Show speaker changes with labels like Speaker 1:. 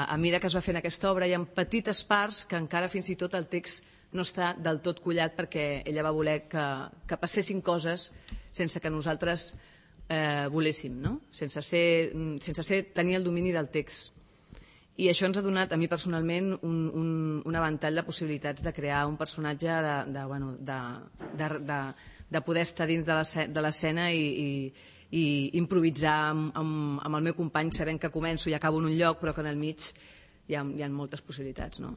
Speaker 1: a mesura que es va fent aquesta obra hi ha petites parts que encara fins i tot el text no està del tot collat perquè ella va voler que passessin coses sense que nosaltres voléssim, no? Sense tenir el domini del text. I això ens ha donat, a mi personalment, un ventall de possibilitats de crear un personatge, de poder estar dins de l'escena i improvisar amb el meu company sabent que començo i acabo en un lloc però que en el mig hi ha moltes possibilitats, no?